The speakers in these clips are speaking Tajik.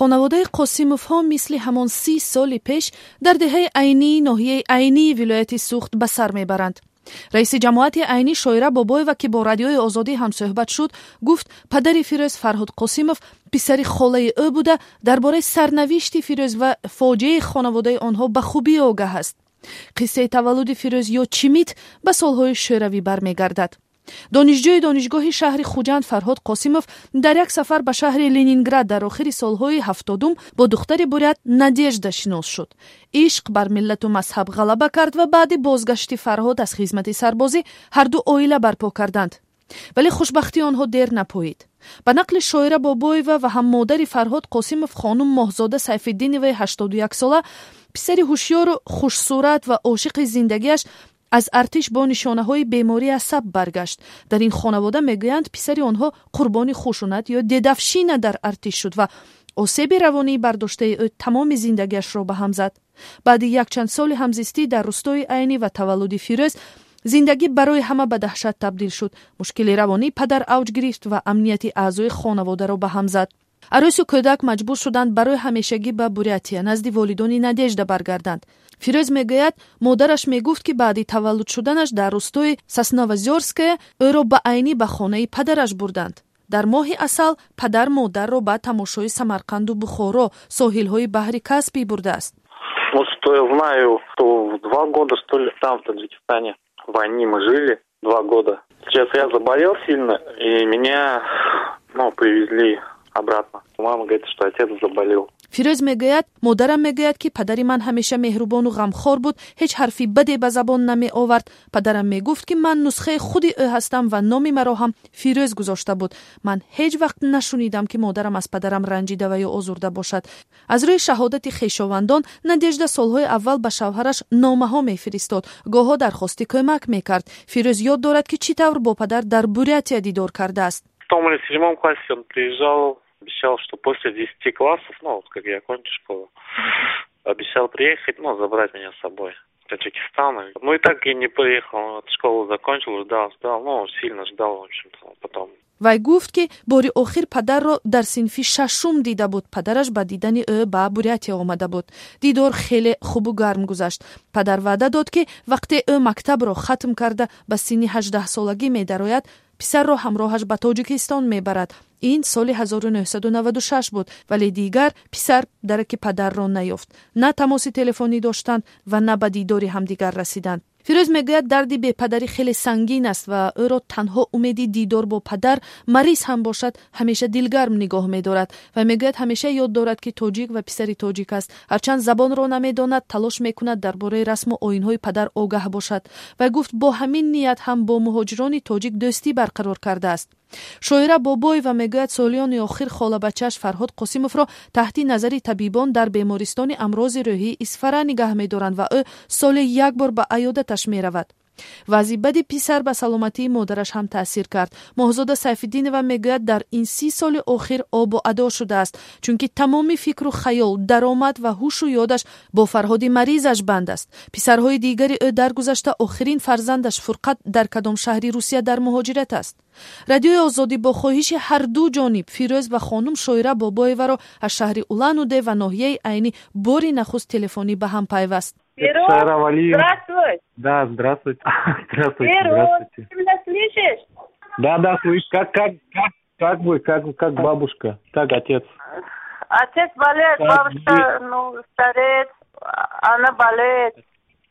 Хонаводаи Қосимовҳо мисли ҳамон 30 соли пеш дар деҳаи Айнии ноҳияи Айнии вилояти Суғд ба сар мебаранд. Раиси ҷамоати Айнӣ Шоира Бобоева, ки бо Радиои Озодӣ ҳамсӯҳбат шуд, гуфт, падари Фирӯз, Фарҳод Қосимов, писари холаи ӯ буда, дар бораи сарнавишти Фирӯз ва фоҷиаи хонаводаи онҳо ба хубӣ огаҳ аст. Қиссаи таваллуди Фирӯз ё Чимит ба солҳои шӯравӣ бармегардад. Донишҷӯи донишгоҳи шаҳри Хуҷанд Фарҳод Қосимов дар як сафар ба шаҳри Ленинград дар охири солҳои 70-ум бо духтари бурят Надежда шинос шуд. Ишқ бар миллату мазҳаб ғалаба кард ва баъди бозгашти Фарҳод аз хизмати сарбозӣ ҳарду оила барпо карданд. Вале хушбахтии онҳо дер напоид. Ба нақли Шоира Бобоева ва ҳам модари Фарҳод Қосимов, хонум Моҳзода Сайфиддиноваи 81-сола, писари ҳушёру хушсурат ва ошиқи зиндагиаш аз артиш бо нишонаҳои бемории асаб баргашт. Дар ин хонавода мегӯянд, писари онҳо қурбони хушунат ё дедовщина дар артиш шуд ва осеби равонии бардоштаи ӯ тамоми зиндагиашро ба ҳам зад. Баъди якчанд соли ҳамзистӣ дар рустои Айнӣ ва таваллуди Фирӯз, зиндагӣ барои ҳама ба даҳшат табдил шуд. Мушкили равонии падар авҷ гирифт ва амнияти аъзои хонаводаро ба ҳам зад. Арӯсу кӯдак маҷбур шуданд барои ҳамешагӣ ба Бурятия, назди волидони Надежда баргарданд. Фирӯз мегӯяд, модараш мегуфт, ки баъди таваллуд шуданаш дар рустои Сосновозёрская ӯро ба Айнӣ, ба хонаи падараш бурданд. Дар моҳи асал падар модарро ба тамошои Самарқанду Бухоро, соҳилҳои баҳри Каспий бурдааст. Ну, что я знаю, то в 2 года, что ли, там, в Таджикистане, в Айни мы жили 2 года. Сейчас я заболел сильно, и меня, ну, привезли обратно. Мама говорит, что отец заболел. Фирӯз мегӯяд: «Модарам мегӯяд, ки падари ман ҳамеша меҳрубону ғамхор буд, ҳеҷ ҳарфи баде ба забон намеовард. Падарам мегуфт, ки ман нусхаи худи ӯ ҳастам ва номи маро ҳам Фирӯз гузошта буд. Ман ҳеҷ вақт нашунидам, ки модарам аз падарам ранҷида ва ё озурда бошад». Аз рӯи шаҳодати хешовандон, Надежда солҳои аввал ба шавҳараш номаҳо мефиристод, гоҳо дархости кӯмак мекард. Фирӯз ёд дорад, ки чӣ тавр бо падар дар Бурятия дидор кардааст. В шестом или седьмом классе он приезжал, обещал, что после 10 классов, ну, вот как я окончу школу, обещал приехать, ну, забрать меня с собой в Таджикистан. Ну и так и не приехал, он школу закончил, ждал, ждал, ну, сильно ждал, в общем-то, потом. Вай гуфт, ки бори охир падарро дар синфи шашум дида буд. Падараш ба дидани ӯ ба Бурятия омада буд. Дидор хеле хубу гарм гузашт. Падар ваъда дод, ки вақте ӯ мактабро хатм карда, ба синни 18-солагӣ медарояд, писарро ҳамроҳаш ба Тоҷикистон мебарад. Ин соли 1996 буд, вале дигар писар дараки падарро наёфт. На тамоси телефонӣ доштанд ва на ба дидори ҳамдигар расиданд. Фирӯз мегӯяд, дарди бепадарӣ хеле сангин аст ва ӯро танҳо умеди дидор бо падар, мариз ҳам бошад, ҳамеша дилгарм нигоҳ медорад. Ва мегӯяд, ҳамеша ёд дорад, ки тоҷик ва писари тоҷик аст. Ҳарчанд забонро намедонад, талош мекунад дар бораи расму оинҳои падар огаҳ бошад. Вай гуфт, бо ҳамин ният ҳам бо муҳоҷирони тоҷик дӯстӣ барқарор кардааст. Шоира Бобоева мегӯяд, солиёни охир холабачааш Фарҳод Қосимовро таҳти назари табибон дар бемористони амрози рӯҳии Исфара нигаҳ медоранд ва ӯ соле як бор ба аёдаташ меравад. Вазъи бади писар ба саломатии модараш ҳам таъсир кард. Моҳзода Сайфиддинова мегӯяд, дар ин 30 соли охир обу адо шудааст, чунки тамоми фикру хаёл, даромад ва ҳушу ёдаш бо Фарҳоди маризаш банд аст. Писарҳои дигари ӯ даргузашта, охирин фарзандаш Фурқат дар кадом шаҳри Русия дар муҳоҷират аст. Радиои Озодӣ бо хоҳиши ҳарду ҷониб Фирӯз ва хонум Шоира Бобоеваро аз шаҳри Улан Удэ ва ноҳияи Айнӣ бори нахуст телефонӣ ба ҳам пайваст. Здравствуй. Да, здравствуйте. Здравствуйте. Здравствуйте. Ты меня слышишь? Да, слышу. Как вы, как бабушка, как отец? Отец болеет, бабушка, ну, стареет, она болеет.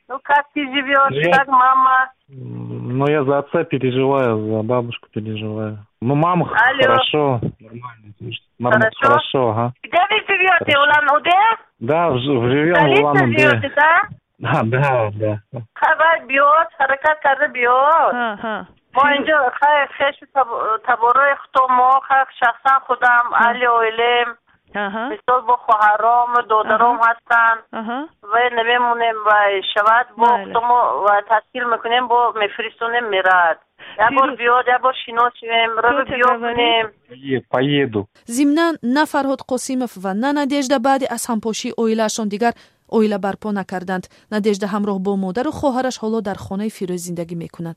Ну, как ты живешь, ну, как мама? Ну, я за отца переживаю, за бабушку переживаю. Ну, мама. Алло. Хорошо, нормально. Нормально. Хорошо? Хорошо, ага. Где вы живете, Улан-Удэ? Да, живем в Улан-Удэ. Живете, да? Да. Хабар биёд, ҳаракат карда биёд. Мо инҷо хешу таборои худо, шахсан худам, аҳли оилем, мисол, бо хоҳаром, додаром ҳастанд ва намемонем, вай шавад, бо худомо ташкил мекунем, бо мефиристонем, мерад. Як бор биёд, як бор шинос шавем, рӯ биё кунем. Поеду. Зимнан, на Фарҳод Қосимов ва на Надежда баъди аз ҳампошии оилаашон дигар оила барпо накарданд. Надежда ҳамроҳ бо модару хоҳараш ҳоло дар хонаи Фирӯз зиндагӣ мекунад.